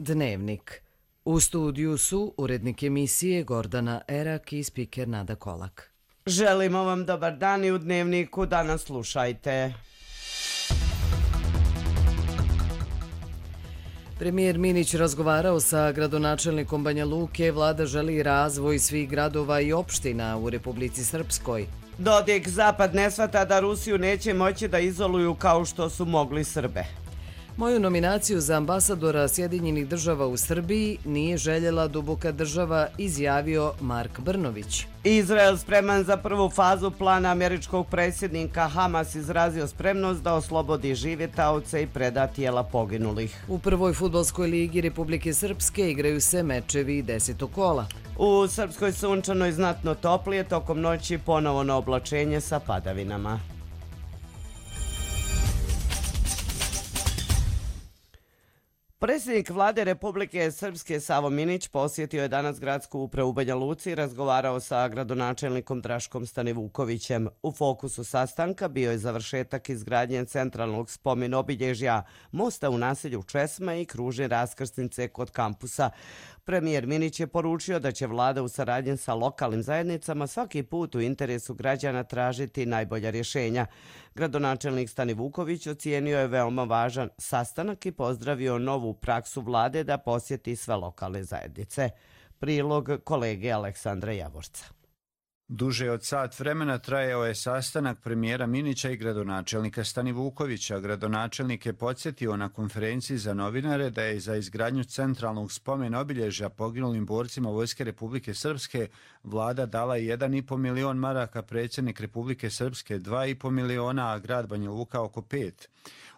Dnevnik. U studiju su urednik emisije Gordana Erak i spiker Nada Kolak. Želimo vam dobar dan i u Dnevniku danas slušajte. Premijer Minić razgovarao sa gradonačelnikom Banja Luke. Vlada želi razvoj svih gradova i opština u Republici Srpskoj. Dodik, Zapad ne shvata da Rusiju neće moći da izoluju kao što su mogli Srbe. Moju nominaciju za ambasadora Sjedinjenih država u Srbiji nije željela duboka država, izjavio Mark Brnović. Izrael spreman za prvu fazu plana američkog predsjednika. Hamas izrazio spremnost da oslobodi žive taoce i preda tijela poginulih. U prvoj fudbalskoj ligi Republike Srpske igraju se mečevi 10. kola. U Srpskoj sunčanoj znatno toplije, tokom noći ponovo na oblačenje sa padavinama. Predsjednik vlade Republike Srpske Savo Minić posjetio je danas gradsku upravu u Banja Luci i razgovarao sa gradonačelnikom Draškom Stanivukovićem. U fokusu sastanka bio je završetak izgradnje centralnog spomen obilježja, mosta u naselju Česma i kružne raskrsnice kod kampusa. Premijer Minić je poručio da će vlada u saradnji sa lokalnim zajednicama svaki put u interesu građana tražiti najbolja rješenja. Gradonačelnik Stanivuković ocijenio je veoma važan sastanak i pozdravio novu praksu vlade da posjeti sve lokalne zajednice. Prilog kolege Aleksandra Javorca. Duže od sat vremena trajao je sastanak premijera Minića i gradonačelnika Stanivukovića. Gradonačelnik je podsjetio na konferenciji za novinare da je za izgradnju centralnog spomen obilježja poginulim borcima Vojske Republike Srpske vlada dala 1,5 milion maraka, predsjednik Republike Srpske 2,5 miliona, a grad Banja Luka oko 5.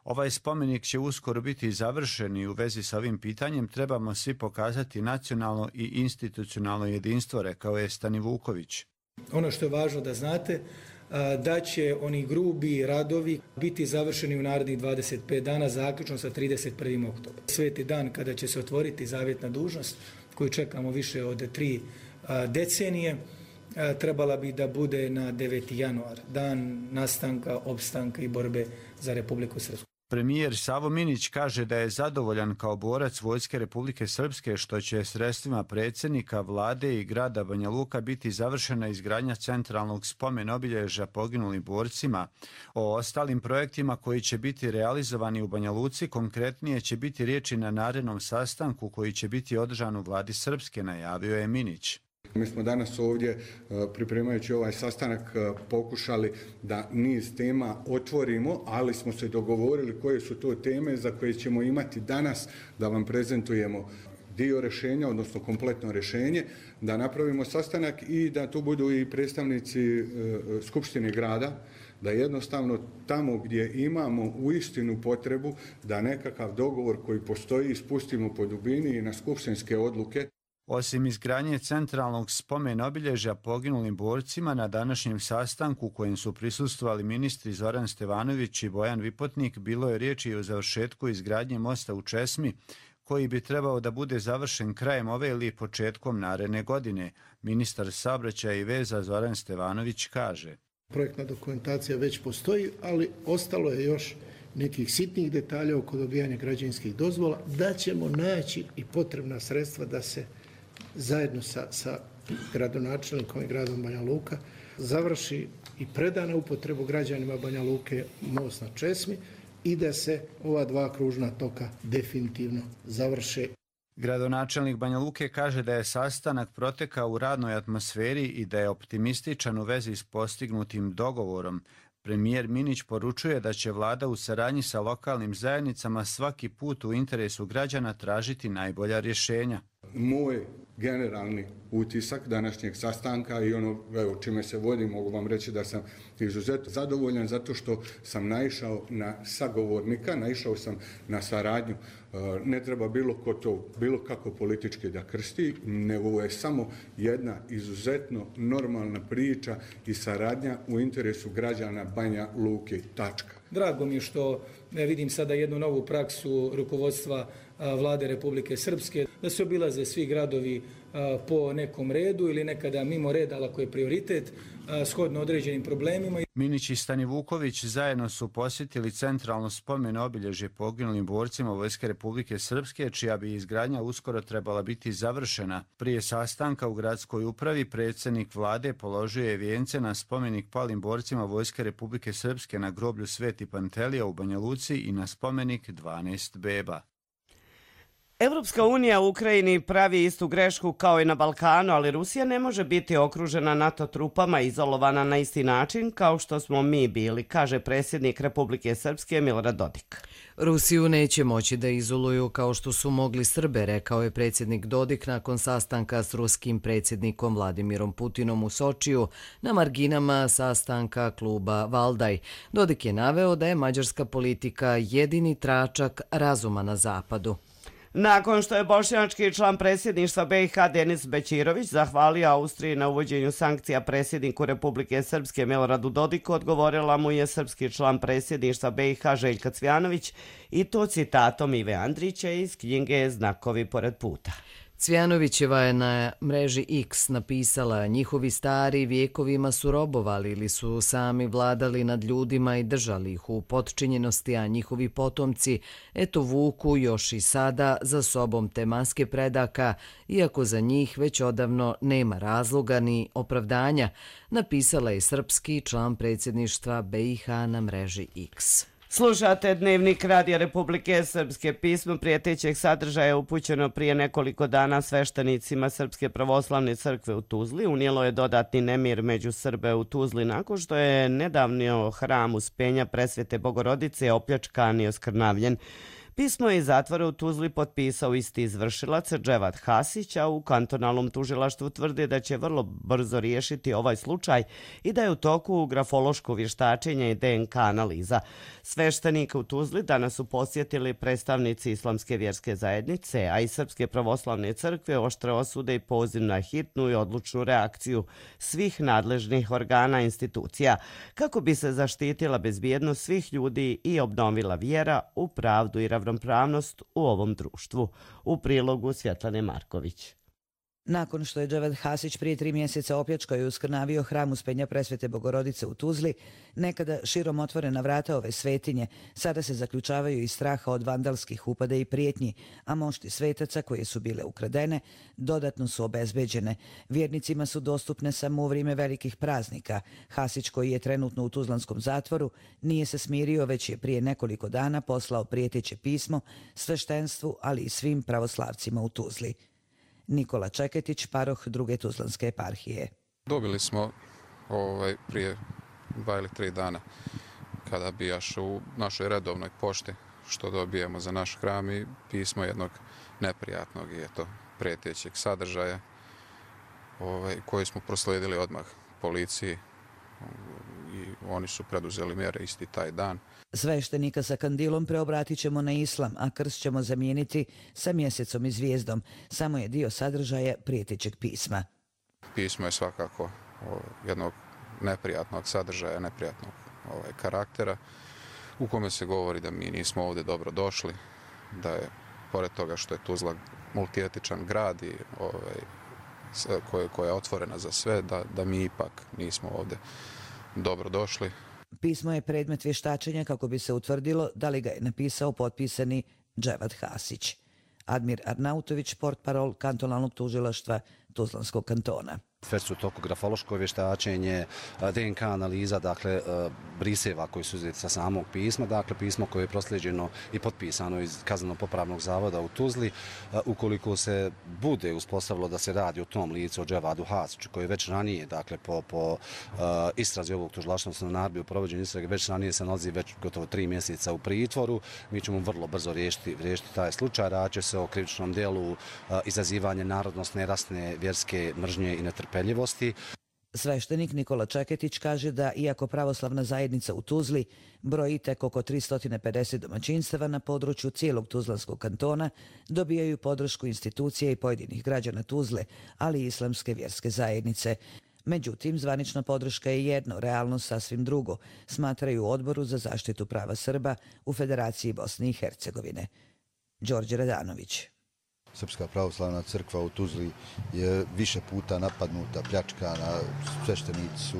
Ovaj spomenik će uskoro biti završen i u vezi sa ovim pitanjem trebamo svi pokazati nacionalno i institucionalno jedinstvo, rekao je Stanivuković. Ono što je važno da znate, da će oni grubi radovi biti završeni u narednih 25 dana, zaključno sa 31. oktobra. Sveti dan kada će se otvoriti zavjetna dužnost, koju čekamo više od 3 decenije, trebala bi da bude na 9. januar, dan nastanka, opstanka i borbe za Republiku Srpsku. Premijer Savo Minić kaže da je zadovoljan kao borac Vojske Republike Srpske što će sredstvima predsjednika, vlade i grada Banja Luka biti završena izgradnja centralnog spomen obilježja poginulim borcima. O ostalim projektima koji će biti realizovani u Banja Luci konkretnije će biti riječi na narednom sastanku koji će biti održan u vladi Srpske, najavio je Minić. Mi smo danas ovdje, pripremajući ovaj sastanak, pokušali da niz tema otvorimo, ali smo se dogovorili koje su to teme za koje ćemo imati danas da vam prezentujemo dio rješenja, odnosno kompletno rješenje, da napravimo sastanak i da tu budu i predstavnici Skupštine grada, da jednostavno tamo gdje imamo uistinu potrebu da nekakav dogovor koji postoji spustimo po dubini i na skupštinske odluke. Osim izgradnje centralnog spomen obilježja poginulim borcima, na današnjem sastanku kojem su prisustvovali ministri Zoran Stevanović i Bojan Vipotnik, bilo je riječi i o završetku izgradnje mosta u Česmi, koji bi trebao da bude završen krajem ove ili početkom naredne godine. Ministar saobraćaja i veza Zoran Stevanović kaže: Projektna dokumentacija već postoji, ali ostalo je još nekih sitnih detalja oko dobijanja građevinskih dozvola, da ćemo naći i potrebna sredstva da se zajedno sa gradonačelnikom i gradom Banja Luka završi i preda na upotrebu građanima Banja Luke most na Česmi i da se ova 2 kružna toka definitivno završe. Gradonačelnik Banja Luke kaže da je sastanak protekao u radnoj atmosferi i da je optimističan u vezi s postignutim dogovorom. Premijer Minić poručuje da će vlada u saradnji sa lokalnim zajednicama svaki put u interesu građana tražiti najbolja rješenja. Moj generalni utisak današnjeg sastanka i ono čime se vodim, mogu vam reći da sam izuzetno zadovoljan zato što sam naišao na sagovornika, naišao sam na saradnju. Ne treba bilo kako politički da krsti, nego je samo jedna izuzetno normalna priča i saradnja u interesu građana Banja Luke. Tačka. Drago mi je što vidim sada jednu novu praksu rukovodstva vlade Republike Srpske, da se obilaze svi gradovi po nekom redu ili nekada mimo reda, ali ako je prioritet, shodno određenim problemima. Minić i Stanivuković zajedno su posjetili centralno spomen obilježje poginulim borcima Vojske Republike Srpske, čija bi izgradnja uskoro trebala biti završena. Prije sastanka u gradskoj upravi predsjednik vlade položio je vijence na spomenik palim borcima Vojske Republike Srpske na groblju Sveti Pantelija u Banja Luci i na spomenik 12 beba. Europska unija u Ukrajini pravi istu grešku kao i na Balkanu, ali Rusija ne može biti okružena NATO trupama i izolovana na isti način kao što smo mi bili, kaže predsjednik Republike Srpske Milorad Dodik. Rusiju neće moći da izoluju kao što su mogli Srbe, rekao je predsjednik Dodik nakon sastanka s ruskim predsjednikom Vladimirom Putinom u Sočiju na marginama sastanka kluba Valdaj. Dodik je naveo da je mađarska politika jedini tračak razuma na zapadu. Nakon što je bošnjački član predsjedništva BiH Denis Bećirović zahvalio Austriji na uvođenju sankcija predsjedniku Republike Srpske Miloradu Dodiku, odgovorila mu je srpski član predsjedništva BiH Željka Cvjanović i to citatom Ive Andrića iz knjige Znakovi pored puta. Cvjanovićeva je na mreži X napisala: njihovi stari vjekovima su robovali ili su sami vladali nad ljudima i držali ih u potčinjenosti, a njihovi potomci eto vuku još i sada za sobom te maske predaka, iako za njih već odavno nema razloga ni opravdanja, napisala je srpski član predsjedništva BiH na mreži X. Slušate Dnevnik Radija Republike Srpske. Pismo prijetećeg sadržaja upućeno prije nekoliko dana sveštenicima Srpske pravoslavne crkve u Tuzli unijelo je dodatni nemir među Srbe u Tuzli nakon što je nedavno hram Uspenja Presvete Bogorodice opljačkan i oskrnavljen. Pismo je iz zatvora u Tuzli potpisao isti izvršilac Dževad Hasić, a u kantonalnom tužilaštvu tvrde da će vrlo brzo riješiti ovaj slučaj i da je u toku grafološko vještačenje i DNK analiza. Sveštenika u Tuzli danas su posjetili predstavnici Islamske vjerske zajednice, a i Srpske pravoslavne crkve oštre osude i poziv na hitnu i odlučnu reakciju svih nadležnih organa i institucija kako bi se zaštitila bezbjednost svih ljudi i obnovila vjera u pravdu i ravnopravnost u ovom društvu. U prilogu Svjetlane Marković. Nakon što je Dževad Hasić prije 3 mjeseca opljačkao i uskrnavio hram Uspenja Presvete Bogorodice u Tuzli, nekada širom otvorena vrata ove svetinje sada se zaključavaju iz straha od vandalskih upada i prijetnji, a mošti svetaca koje su bile ukradene dodatno su obezbeđene. Vjernicima su dostupne samo u vrijeme velikih praznika. Hasić, koji je trenutno u tuzlanskom zatvoru, nije se smirio, već je prije nekoliko dana poslao prijeteće pismo sveštenstvu, ali i svim pravoslavcima u Tuzli. Nikola Čeketić, paroh druge tuzlanske eparhije. Dobili smo prije 2 ili 3 dana kada bijaš u našoj redovnoj pošti što dobijemo za naš hram i pismo jednog neprijatnog i prijetećeg sadržaja koji smo proslijedili odmah policiji i oni su preduzeli mjere isti taj dan. Sveštenika sa kandilom preobratit ćemo na islam, a krst ćemo zamijeniti sa mjesecom i zvijezdom. Samo je dio sadržaja prijetećeg pisma. Pismo je svakako jednog neprijatnog sadržaja, neprijatnog karaktera u kome se govori da mi nismo ovdje dobro došli, da je pored toga što je Tuzla multietičan grad i koja je otvorena za sve, da mi ipak nismo ovdje dobro došli. Pismo je predmet vještačenja kako bi se utvrdilo da li ga je napisao potpisani Dževad Hasić. Admir Arnautović, portparol kantonalnog tužilaštva Tuzlanskog kantona. Već su u toku grafološko vještačenje, DNK analiza, dakle briseva koji su uzeti sa samog pisma, dakle pismo koje je proslijeđeno i potpisano iz Kazneno-popravnog zavoda u Tuzli. Ukoliko se bude uspostavilo da se radi o tom licu, o Dževadu Hasiću, koji je već ranije, dakle po istrazi ovog tužilaštva, odnosno naredbi u provođenju istrage, već ranije se nalazi već gotovo 3 mjeseca u pritvoru, mi ćemo vrlo brzo riješiti taj slučaj. Radi će se o krivičnom djelu izazivanje narodnosne, rasne, vjerske mržnje i netrpeljivosti. Sveštenik Nikola Čeketić kaže da, iako pravoslavna zajednica u Tuzli broji tek oko 350 domaćinstava na području cijelog Tuzlanskog kantona, dobijaju podršku institucije i pojedinih građana Tuzle, ali i islamske vjerske zajednice. Međutim, zvanična podrška je jedno, realnost sasvim drugo, smatraju u Odboru za zaštitu prava Srba u Federaciji Bosne i Hercegovine. Đorđe Radanović. Srpska pravoslavna crkva u Tuzli je više puta napadnuta, pljačkana, sveštenici su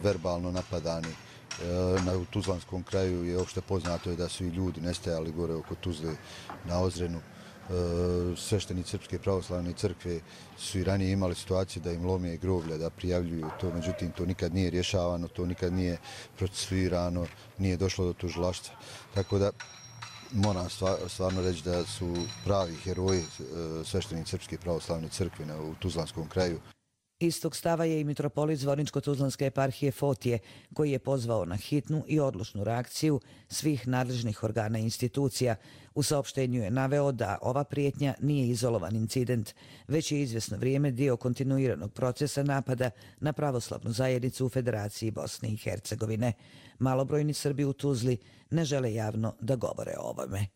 verbalno napadani. U Tuzlanskom kraju je opšte poznato da su i ljudi nestajali gore oko Tuzle na Ozrenu. Sveštenici Srpske pravoslavne crkve su i ranije imali situaciju da im lome groblja, da prijavljuju to, međutim to nikad nije rješavano, to nikad nije procesuirano, nije došlo do tužilaštva. Tako da moram stvarno reći da su pravi heroji sveštenici Srpske pravoslavne crkve u Tuzlanskom kraju. Istog stava je i mitropolit Zvorničko-Tuzlanske eparhije Fotije, koji je pozvao na hitnu i odlučnu reakciju svih nadležnih organa i institucija. U saopštenju je naveo da ova prijetnja nije izolovan incident, već je izvjesno vrijeme dio kontinuiranog procesa napada na pravoslavnu zajednicu u Federaciji Bosne i Hercegovine. Malobrojni Srbi u Tuzli ne žele javno da govore o ovome.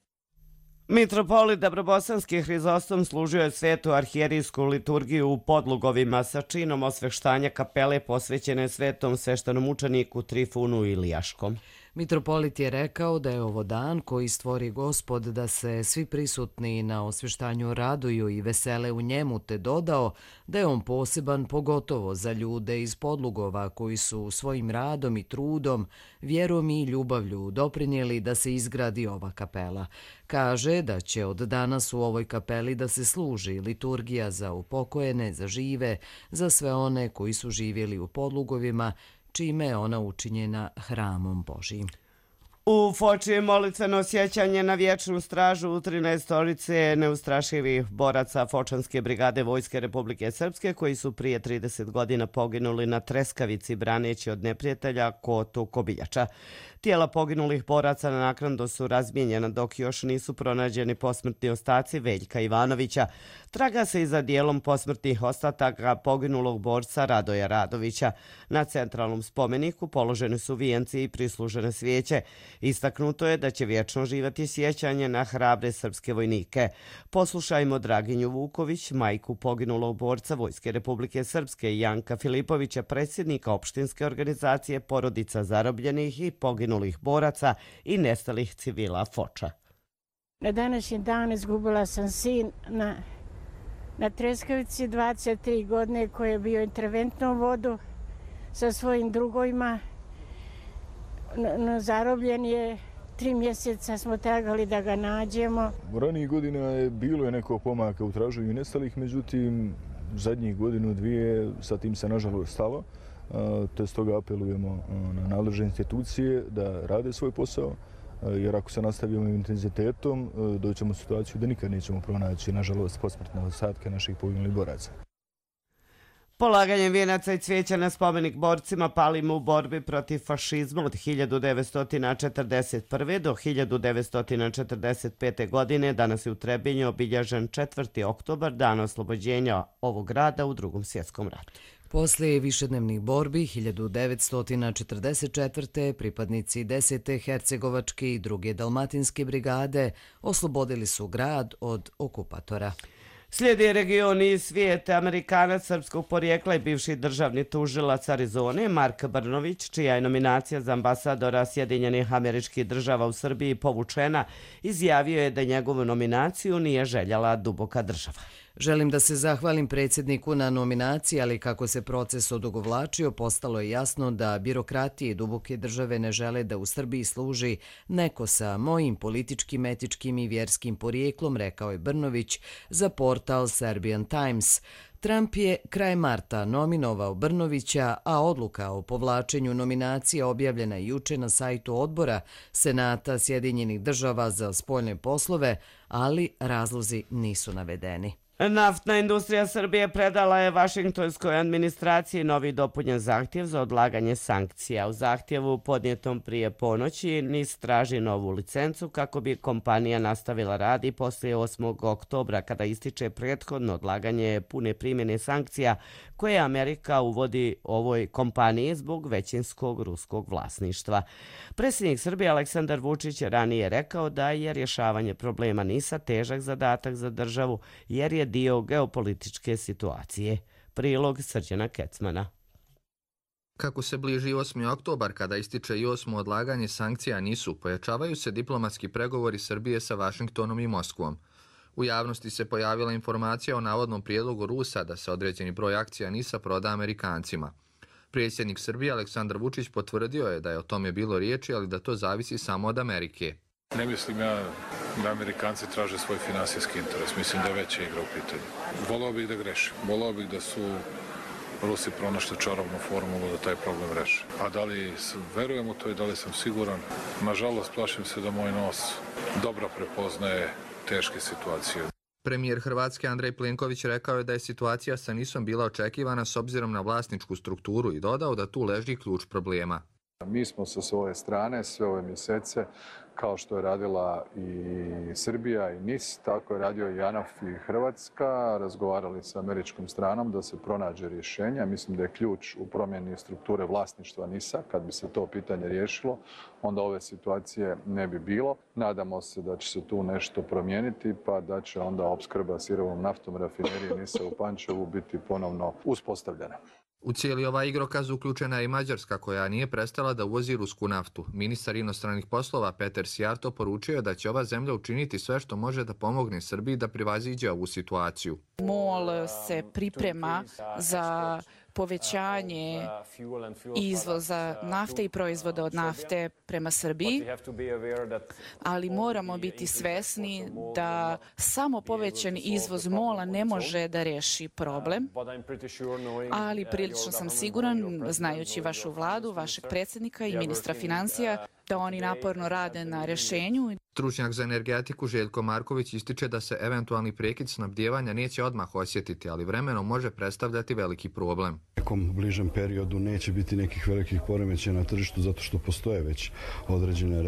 Mitropolit Dabrobosanski Hrizostom služio je svetu arhijerijsku liturgiju u Podlugovima sa činom osveštanja kapele posvećene svetom sveštenomučeniku Trifunu Ilijaškom. Mitropolit je rekao da je ovo dan koji stvori Gospod da se svi prisutni na osveštanju raduju i vesele u njemu, te dodao da je on poseban pogotovo za ljude iz Podlugova koji su svojim radom i trudom, vjerom i ljubavlju doprinijeli da se izgradi ova kapela. Kaže da će od danas u ovoj kapeli da se služi liturgija za upokojene, za žive, za sve one koji su živjeli u Podlugovima, čime je ona učinjena hramom Božijim. U Foči molitveno sjećanje na vječnu stražu u 13 neustrašivih boraca Fočanske brigade Vojske Republike Srpske koji su prije 30 godina poginuli na Treskavici braneći od neprijatelja Kotu Kobiljača. Tijela poginulih boraca na naknadno su razmijenjena dok još nisu pronađeni posmrtni ostaci Veljka Ivanovića. Traga se i za dijelom posmrtnih ostataka poginulog borca Radoja Radovića. Na centralnom spomeniku položeni su vijenci i prislužene svijeće. Istaknuto je da će vječno živati sjećanje na hrabre srpske vojnike. Poslušajmo Draginju Vuković, majku poginulog borca Vojske Republike Srpske i Janka Filipovića, predsjednika opštinske organizacije porodica zarobljenih i poginulih boraca i nestalih civila Foča. Na današnji dan izgubila sam sin na Treskavici 23 godine koji je bio interventnom vodu sa svojim drugovima. Zarobljen je, 3 mjeseca smo tragali da ga nađemo. U ranijih godina je bilo nekog pomaka u traženju nestalih, međutim zadnjih godinu, dvije sa tim se nažalost stalo. Te stoga apelujemo na nadležne institucije da rade svoj posao, jer ako se nastavimo intenzitetom, doćemo u situaciju da nikad nećemo pronaći, nažalost, posmrtne ostatke naših poginulih boraca. Polaganjem vijenaca i cvijeća na spomenik borcima palim u borbi protiv fašizma od 1941. do 1945. godine danas je u Trebinju obilježen 4. oktobar, dan oslobođenja ovog grada u Drugom svjetskom ratu. Poslije višednevnih borbi 1944. pripadnici 10. Hercegovačke i 2. Dalmatinske brigade oslobodili su grad od okupatora. Slijedi region i svijet. Amerikanac srpskog porijekla i bivši državni tužilac Arizone Mark Brnović, čija je nominacija za ambasadora Sjedinjenih Američkih Država u Srbiji povučena, izjavio je da njegovu nominaciju nije željela duboka država. Želim da se zahvalim predsjedniku na nominaciji, ali kako se proces odugovlačio, postalo je jasno da birokratije i duboke države ne žele da u Srbiji služi neko sa mojim političkim, etičkim i vjerskim porijeklom, rekao je Brnović za portal Serbian Times. Trump je kraj marta nominovao Brnovića, a odluka o povlačenju nominacije objavljena juče na sajtu odbora Senata Sjedinjenih država za spoljne poslove, ali razlozi nisu navedeni. Naftna industrija Srbije predala je Vašingtonskoj administraciji novi dopunjen zahtjev za odlaganje sankcija. U zahtjevu podnijetom prije ponoći NIS traži novu licencu kako bi kompanija nastavila rad i poslije 8. oktobra kada ističe prethodno odlaganje pune primjene sankcija koje Amerika uvodi ovoj kompaniji zbog većinskog ruskog vlasništva. Predsjednik Srbije Aleksandar Vučić ranije rekao da je rješavanje problema NIS-a težak zadatak za državu jer je dio geopolitičke situacije. Prilog Srđana Kecmana. Kako se bliži 8. oktobar, kada ističe i 8. odlaganje sankcija NIS-u, pojačavaju se diplomatski pregovori Srbije sa Vašingtonom i Moskvom. U javnosti se pojavila informacija o navodnom prijedlogu Rusa da se određeni broj akcija NIS-a proda Amerikancima. Predsjednik Srbije Aleksandar Vučić potvrdio je da je o tome bilo riječi, ali da to zavisi samo od Amerike. Ne mislim ja da Amerikanci traže svoj finansijski interes. Mislim da je veća igra u pitanju. Voleo bih da grešim. Voleo bih da su Rusi pronašli čarobnu formulu da taj problem reše. A da li verujem u to i da li sam siguran? Nažalost, plašim se da moj nos dobro prepoznaje teške situacije. Premijer Hrvatske Andrej Plenković rekao je da je situacija sa NIS-om bila očekivana s obzirom na vlasničku strukturu i dodao da tu leži ključ problema. Mi smo sa svoje strane sve ove mjesece, kao što je radila i Srbija i NIS, tako je radio i JANAF i Hrvatska, razgovarali sa američkom stranom da se pronađe rješenja. Mislim da je ključ u promjeni strukture vlasništva NIS-a. Kad bi se to pitanje riješilo, onda ove situacije ne bi bilo. Nadamo se da će se tu nešto promijeniti, pa da će onda opskrba sirovom naftom rafinerije NIS-a u Pančevu biti ponovno uspostavljena. U cijeli ovaj igrokaz uključena je i Mađarska, koja nije prestala da uvozi rusku naftu. Ministar inostranih poslova Peter Sijarto poručio je da će ova zemlja učiniti sve što može da pomogne Srbiji da prevaziđe ovu situaciju. MOL se priprema za povećanje izvoza nafte i proizvoda od nafte prema Srbiji, ali moramo biti svesni da samo povećan izvoz MOL-a ne može da reši problem, ali prilično sam siguran, znajući vašu vladu, vašeg predsjednika i ministra financija, da oni naporno rade na rješenju. Stručnjak za energetiku Željko Marković ističe da se eventualni prekid snabdijevanja neće odmah osjetiti, ali vremenom može predstavljati veliki problem. U nekom bližem periodu neće biti nekih velikih poremećaja na tržištu zato što postoje već određene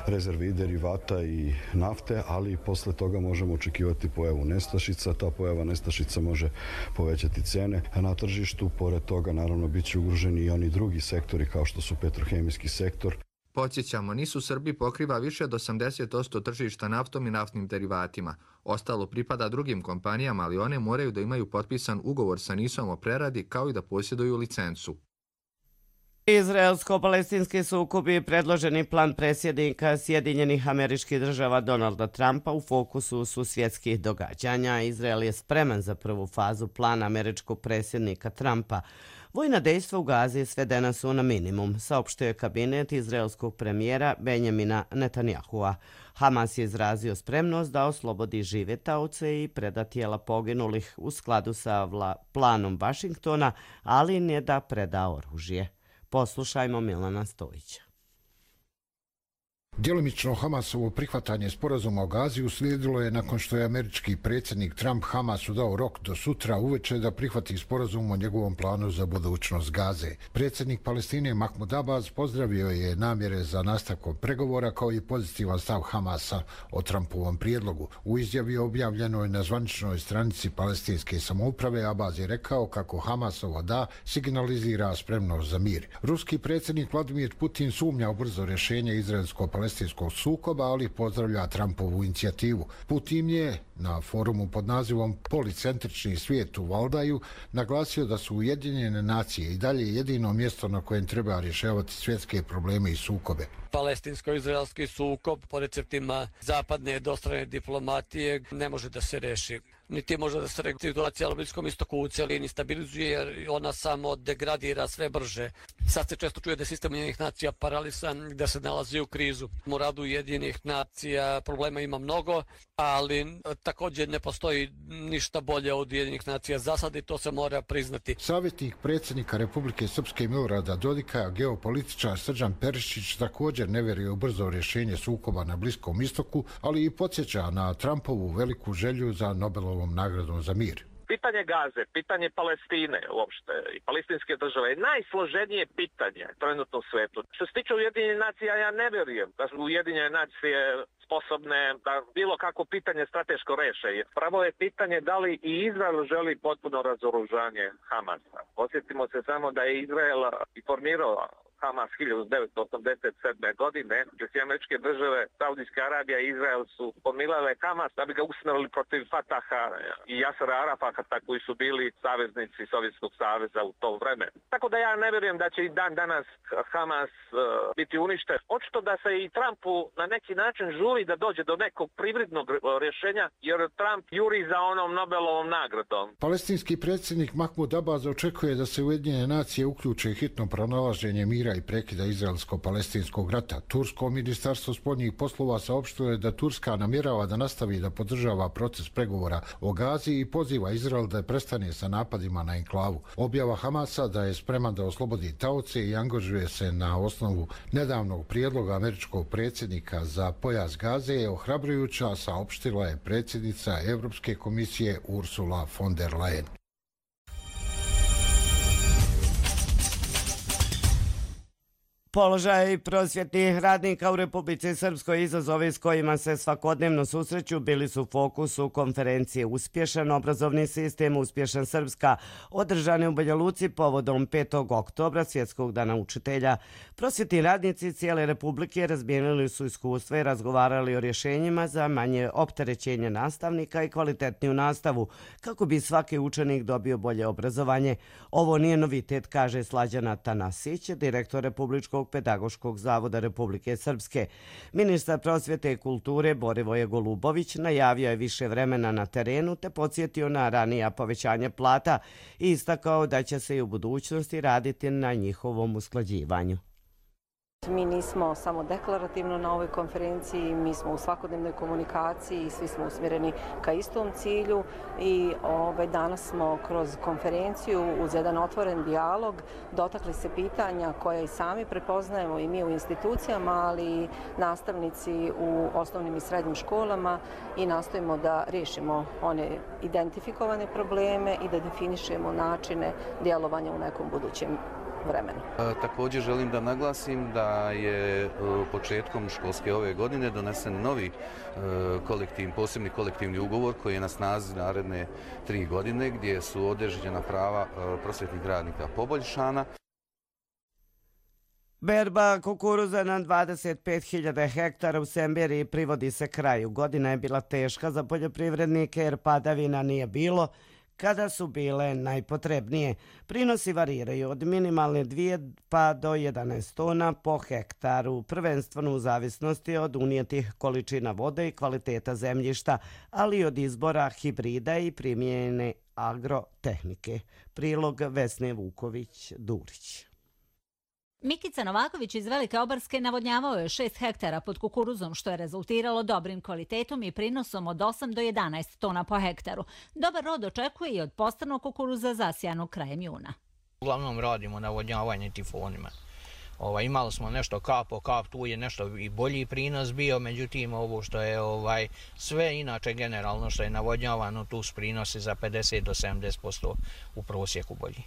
rezerve i derivata i nafte, ali posle toga možemo očekivati pojavu nestašica. Ta pojava nestašica može povećati cene na tržištu. Pored toga, naravno, bit će ugroženi i oni drugi sektori kao što su petrohemijski sektor. Podsjećamo, NIS u Srbiji pokriva više od 80% tržišta naftom i naftnim derivatima. Ostalo pripada drugim kompanijama, ali one moraju da imaju potpisan ugovor sa NIS-om o preradi kao i da posjeduju licencu. Izraelsko-palestinski sukob i predloženi plan predsjednika Sjedinjenih Američkih Država Donalda Trumpa u fokusu su svjetskih događanja. Izrael je spreman za prvu fazu plana američkog predsjednika Trumpa. Vojna dejstva u Gazi svedena su na minimum, saopštio je kabinet izraelskog premijera Benjamina Netanyahua. Hamas je izrazio spremnost da oslobodi žive taoce i preda tijela poginulih u skladu sa planom Vašingtona, ali ne da preda oružje. Poslušajmo Milana Stojića. Djelomično Hamasovo prihvatanje sporazuma o Gazi uslijedilo je nakon što je američki predsjednik Trump Hamasu dao rok do sutra uveče da prihvati sporazum o njegovom planu za budućnost Gaze. Predsjednik Palestine Mahmud Abbas pozdravio je namjere za nastavkom pregovora kao i pozitivan stav Hamasa o Trumpovom prijedlogu. U izjavi objavljenoj na zvaničnoj stranici palestinske samouprave Abbas je rekao kako Hamasovo da signalizira spremnost za mir. Ruski predsjednik Vladimir Putin sumnja u brzo rješenje izraelsko-palestinskog sukoba, ali pozdravlja Trumpovu inicijativu. Putin je na forumu pod nazivom Policentrični svijet u Valdaju naglasio da su Ujedinjene nacije i dalje jedino mjesto na kojem treba rješavati svjetske probleme i sukobe. Palestinsko-izraelski sukob po receptima zapadne dostrane diplomatije ne može da se reši. Niti može da se situacija na Bliskom istoku u cijelini stabilizuje jer ona samo degradira sve brže. Sad se često čuje da je sistem Ujedinjenih nacija paralisan, da se nalazi u krizu. U radu Ujedinjenih nacija problema ima mnogo, ali također ne postoji ništa bolje od Ujedinjenih nacija za sad i to se mora priznati. Savjetnik predsjednika Republike Srpske Milorada Dodika, geopolitičar Srđan Perišić, također ne vjeruje u brzo rješenje sukoba na Bliskom istoku, ali i podsjeća na Trumpovu veliku želju za Nobelovom nagradom za mir. Pitanje Gaze, pitanje Palestine uopšte i palestinske države je najsloženije pitanje trenutno u svijetu. Što se tiče Ujedinjenih nacija, ja ne vjerujem da su Ujedinjene nacije sposobne da bilo kako pitanje strateško reše. Pravo je pitanje da li i Izrael želi potpuno razoružanje Hamasa. Posjetimo se samo da je Izrael informirao Hamas 1987. godine, gdje su američke države, Saudijska Arabija i Izrael su pomilale Hamas da bi ga usmjerili protiv Fataha i Jasera Arafata koji su bili saveznici Sovjetskog saveza u to vreme. Tako da ja ne vjerujem da će i dan danas Hamas biti uništen. Očito da se i Trumpu na neki način žuri da dođe do nekog privrednog rješenja, jer Trump juri za onom Nobelovom nagradom. Palestinski predsjednik Mahmud Abbas očekuje da se Ujedinjene nacije uključe hitno pronalaženje mira i prekida izraelsko-palestinskog rata. Tursko ministarstvo spoljnih poslova saopštilo je da Turska namjerava da nastavi da podržava proces pregovora o Gazi i poziva Izrael da prestane sa napadima na enklavu. Objava Hamasa da je spreman da oslobodi taoce i angažuje se na osnovu nedavnog prijedloga američkog predsjednika za pojas Gaze je ohrabrujuća, saopštila je predsjednica Europske komisije Ursula von der Leyen. Položaj prosvjetnih radnika u Republici Srpskoj, izazovi s kojima se svakodnevno susreću, bili su u fokusu konferencije Uspješan obrazovni sistem, uspješan Srpska, održane u Banja Luci povodom 5. oktobra, Svjetskog dana učitelja. Prosvjetni radnici cijele Republike razmijenili su iskustva i razgovarali o rješenjima za manje opterećenje nastavnika i kvalitetniju nastavu, kako bi svaki učenik dobio bolje obrazovanje. Ovo nije novitet, kaže Slađana Tanasić, direktor Republičkog pedagoškog zavoda Republike Srpske. Ministar prosvjete i kulture Borivoje Golubović najavio je više vremena na terenu te podsjetio na ranija povećanja plata i istakao da će se i u budućnosti raditi na njihovom usklađivanju. Mi nismo samo deklarativno na ovoj konferenciji, mi smo u svakodnevnoj komunikaciji i svi smo usmjereni ka istom cilju i danas smo kroz konferenciju uz jedan otvoren dijalog dotakli se pitanja koja i sami prepoznajemo i mi u institucijama, ali i nastavnici u osnovnim i srednjim školama i nastojimo da riješimo one identifikovane probleme i da definišemo načine djelovanja u nekom budućem vremenu. Također želim da naglasim da je početkom školske ove godine donesen novi posebni kolektivni ugovor koji je na snazi naredne 3 godine gdje su određena prava prosvjetnih radnika poboljšana. Berba kukuruza na 25.000 hektara u Semberiji privodi se kraju. Godina je bila teška za poljoprivrednike jer padavina nije bilo kada su bile najpotrebnije. Prinosi variraju od minimalne 2 pa do 11 tona po hektaru, prvenstveno u zavisnosti od unijetih količina vode i kvaliteta zemljišta, ali i od izbora hibrida i primijenjene agrotehnike. Prilog Vesne Vuković-Durić. Mikica Novaković iz Velike Obarske navodnjavao je 6 hektara pod kukuruzom, što je rezultiralo dobrim kvalitetom i prinosom od 8 do 11 tona po hektaru. Dobar rod očekuje i od postranog kukuruza zasijanog krajem juna. Uglavnom radimo navodnjavanje tifonima. Imali smo nešto kap po kap, tu je nešto i bolji prinos bio, međutim ovo što je sve inače generalno što je navodnjavano, tu su prinosi za 50 do 70% u prosjeku bolji.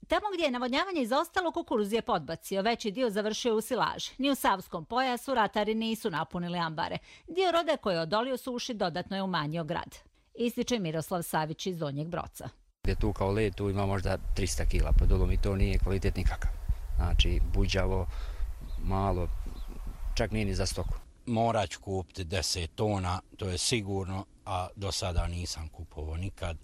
Tamo gdje je navodnjavanje izostalo, kukuruz je podbacio, veći dio završio u silaži. Ni u Savskom pojasu ratari nisu napunili ambare. Dio roda koji je odolio suši dodatno je umanjio grad. Ističe Miroslav Savić iz Donjeg Broca. Gdje tu kao led, tu ima možda 300 kila pod dolom i to nije kvalitet nikakav. Znači, buđavo, malo, čak nije ni za stoku. Morat ću kupiti 10 tona, to je sigurno, a do sada nisam kupovao nikad.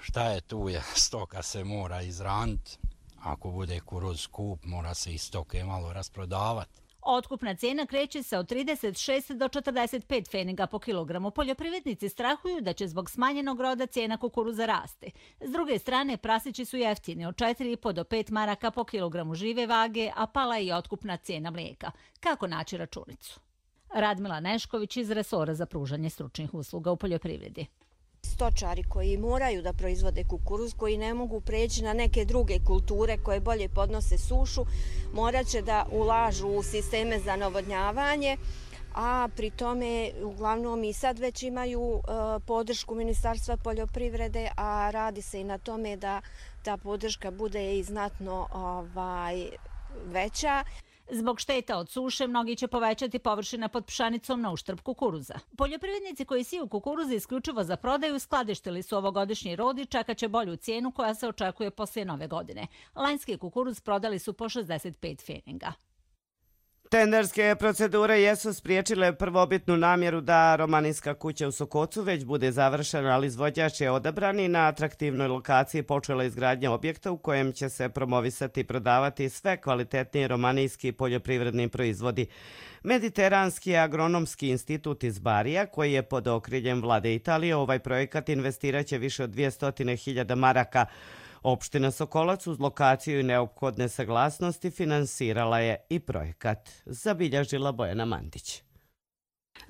Šta je tu je, stoka se mora izraniti, ako bude kukuruz skup, mora se i stoke malo rasprodavati. Otkupna cijena kreće se od 36 do 45 pfeniga po kilogramu. Poljoprivrednici strahuju da će zbog smanjenog roda cijena kukuruza rasti. S druge strane, prasići su jeftini od 4,5 do 5 maraka po kilogramu žive vage, a pala je i otkupna cijena mlijeka. Kako naći računicu? Radmila Nešković iz resora za pružanje stručnih usluga u poljoprivredi. Stočari koji moraju da proizvode kukuruz, koji ne mogu preći na neke druge kulture koje bolje podnose sušu, morat će da ulažu u sisteme za navodnjavanje, a pri tome uglavnom i sad već imaju podršku Ministarstva poljoprivrede, a radi se i na tome da ta podrška bude i znatno veća. Zbog šteta od suše, mnogi će povećati površine pod pšenicom na uštrb kukuruza. Poljoprivrednici koji siju kukuruza isključivo za prodaju skladištili su ovogodišnji rod i čekat će bolju cijenu koja se očekuje poslije nove godine. Lanjski kukuruz prodali su po 65 pfeniga. Tenderske procedure jesu spriječile prvobitnu namjeru da romanijska kuća u Sokocu već bude završena, ali izvođač je odabran i na atraktivnoj lokaciji počela izgradnja objekta u kojem će se promovisati i prodavati sve kvalitetniji romanijski poljoprivredni proizvodi. Mediteranski agronomski institut iz Barija, koji je pod okriljem vlade Italije, ovaj projekat investiraće više od 200.000 maraka. Opština Sokolac uz lokaciju i neophodne saglasnosti finansirala je i projekat, zabilježila Bojana Mandić.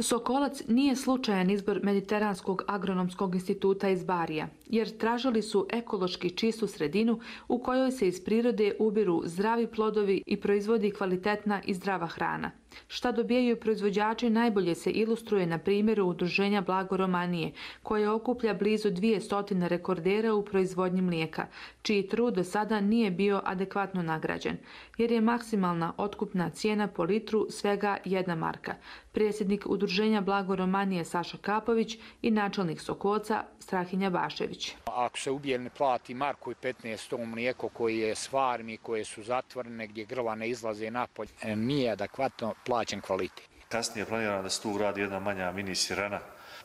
Sokolac nije slučajan izbor Mediteranskog agronomskog instituta iz Barija, jer tražili su ekološki čistu sredinu u kojoj se iz prirode ubiru zdravi plodovi i proizvodi kvalitetna i zdrava hrana. Šta dobijaju proizvođači najbolje se ilustruje na primjeru Udruženja Blago Romanije, koje okuplja blizu 200 rekordera u proizvodnji mlijeka, čiji trud do sada nije bio adekvatno nagrađen, jer je maksimalna otkupna cijena po litru svega 1 marka. Predsjednik Udruženja Blago Romanije Saša Kapović i načelnik Sokoca Strahinja Bašević. Ako se ubije ne plati marku i 15 ton mlijeko koji je s farmi, koje su zatvorene, gdje grla ne izlaze napolje, nije adekvatno plaćen kvalitet. Kasnije je planirano da se tu uradi jedna manja mini sirena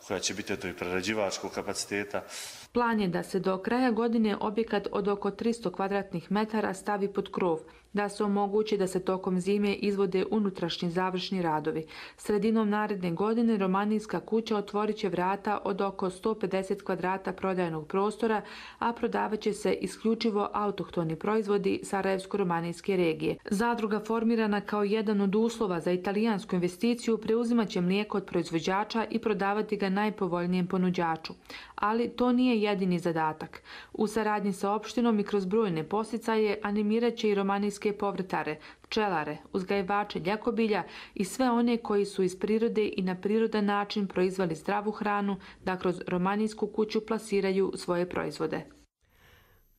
koja će biti i prerađivačkog kapaciteta. Plan je da se do kraja godine objekat od oko 300 kvadratnih metara stavi pod krov, da se omogući da se tokom zime izvode unutrašnji završni radovi. Sredinom naredne godine romanijska kuća otvorit će vrata od oko 150 kvadrata prodajnog prostora, a prodavat će se isključivo autohtoni proizvodi Sarajevsko-romanijske regije. Zadruga formirana kao jedan od uslova za italijansku investiciju preuzimat će mlijeko od proizvođača i prodavati ga najpovoljnijem ponuđaču. Ali to nije jedini zadatak. U saradnji sa opštinom i kroz brojne posticaje animirat će i romanijske povrtare, pčelare, uzgajivače ljekobilja i sve one koji su iz prirode i na prirodan način proizveli zdravu hranu da kroz romanijsku kuću plasiraju svoje proizvode.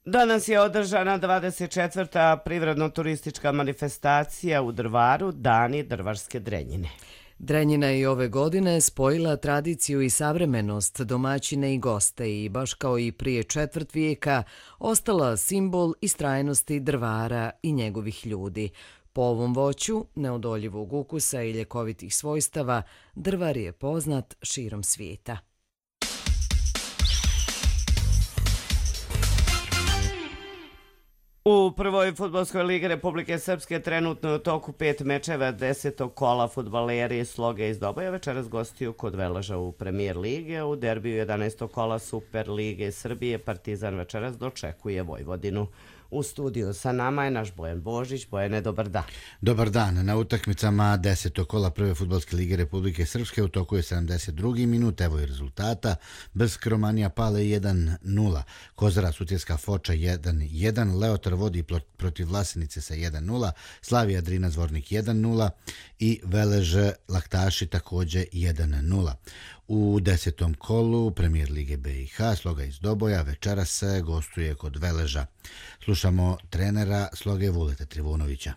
Danas je održana 24. privredno-turistička manifestacija u Drvaru, Dani drvarske drenjine. Drenjina je i ove godine spojila tradiciju i savremenost, domaćine i goste i, baš kao i prije 4 vijeka, ostala simbol istrajnosti Drvara i njegovih ljudi. Po ovom voću, neodoljivog ukusa i ljekovitih svojstava, Drvar je poznat širom svijeta. U prvoj fudbalskoj ligi Republike Srpske trenutno je u toku 5 mečeva 10. kola. Fudbaleri Sloge iz Doboja večeras gostiju kod Veleža u premijer lige. U derbiju 11. kola Super lige Srbije Partizan večeras dočekuje Vojvodinu. U studiju sa nama je naš Bojan Božić. Bojane, dobar dan. Dobar dan. Na utakmicama 10. kola prve fudbalske lige Republike Srpske u toku je 72. minut. Evo i rezultata. Brsk Romanija Pale 1-0. Kozara Sutjeska Foča 1-1. Leotar vodi protiv Vlasenice sa 1-0. Slavija Drina Zvornik 1-0. I Velež Laktaši također 1-0. U 10. kolu premijer lige BiH Sloga iz Doboja večeras se gostuje kod Veleža. Slušamo trenera Sloge Vuleta Trivunovića.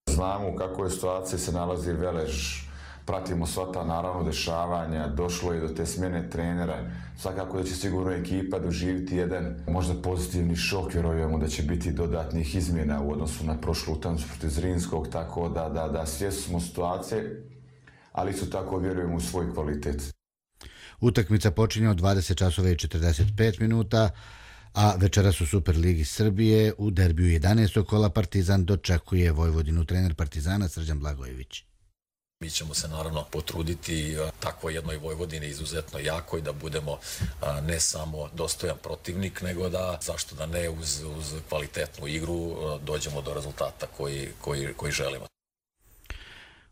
Znamo u kakvoj situaciji se nalazi Velež. Pratimo sva ta naravno dešavanja, došlo je do te smjene trenera. Svakako da će sigurno ekipa doživjeti jedan možda pozitivni šok, vjerujemo da će biti dodatnih izmjena u odnosu na prošlu utakmicu protiv Zrinskog, tako da svjesni smo situacije, ali isto tako vjerujemo u svoj kvalitet. Utakmica počinje od 20:45 minuta, a večeras u Superligi Srbije u derbiju 11. kola Partizan dočekuje Vojvodinu. Trener Partizana Srđan Blagojević. Mi ćemo se naravno potruditi takvoj jednoj Vojvodini izuzetno jakoj da budemo ne samo dostojan protivnik, nego da, zašto da ne, uz kvalitetnu igru dođemo do rezultata koji želimo.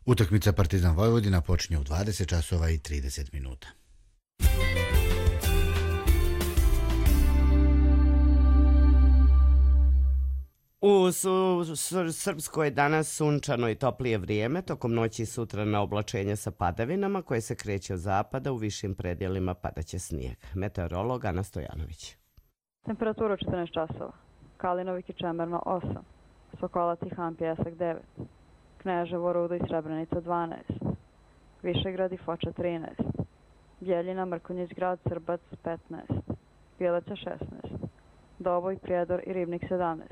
Utakmica Partizan Vojvodina počinje u 20:30 minuta. U Srpskoj danas sunčano i toplije vrijeme, tokom noći i sutra na oblačenje sa padavinama koje se kreće od zapada, u višim predjelima padaće snijeg. Meteorolog Ana Stojanović. Temperatura 14 časova. Kalinovik i Čemerno 8, Sokolac i Han Pjesak 9, Kneževo, Rudo i Srebrenica 12, Višegrad i Foča 13, Bjeljina, Mrkonjić grad, Srbac 15, Bjeleća 16, Doboj, Prijedor i Ribnik 17,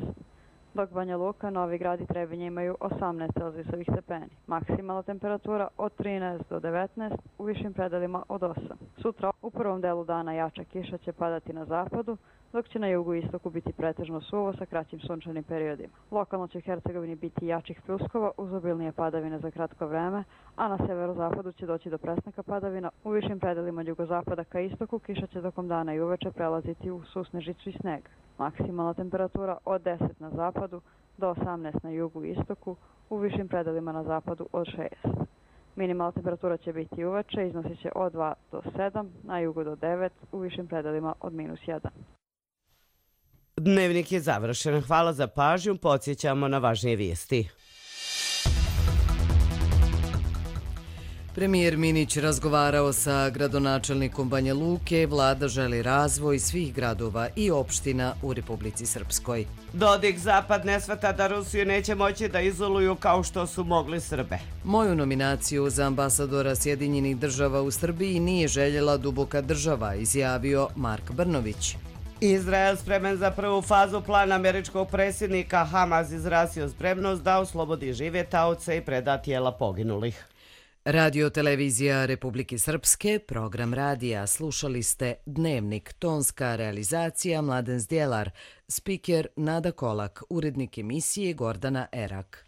dok Banja Luka, Novi Grad i Trebinje imaju 18 celzijusovih stepeni. Maksimalna temperatura od 13 do 19, u višim predelima od 8. Sutra u prvom delu dana jača kiša će padati na zapadu, dok će na jugu i istoku biti pretežno suvo sa kraćim sunčanim periodima. Lokalno će u Hercegovini biti jačih pljuskova uz obilnije padavine za kratko vreme, a na severozapadu će doći do prestanka padavina. U višim predelima od jugozapada ka istoku kiša će tokom dana i uveče prelaziti u susnežicu i sneg. Maksimalna temperatura od 10 na zapadu do 18 na jugu i istoku, u višim predelima na zapadu od 6. Minimalna temperatura će biti uveče, iznosit će od 2 do 7, na jugu do 9, u višim predelima od -1. Dnevnik je završen. Hvala za pažnju. Podsjećamo na važnije vijesti. Premijer Minić razgovarao sa gradonačelnikom Banja Luke. Vlada želi razvoj svih gradova i opština u Republici Srpskoj. Dodik Zapad ne shvata da Rusiju neće moći da izoluju kao što su mogli Srbe. Moju nominaciju za ambasadora Sjedinjenih država u Srbiji nije željela duboka država, izjavio Mark Brnović. Izrael spremen za prvu fazu plana američkog predsjednika. Hamas izrazio spremnost da oslobodi žive taoce i preda tijela poginulih. Radio televizija Republike Srpske, program radija. Slušali ste Dnevnik, tonska realizacija Mladen Zdjelar, spiker Nada Kolak, urednik emisije Gordana Erak.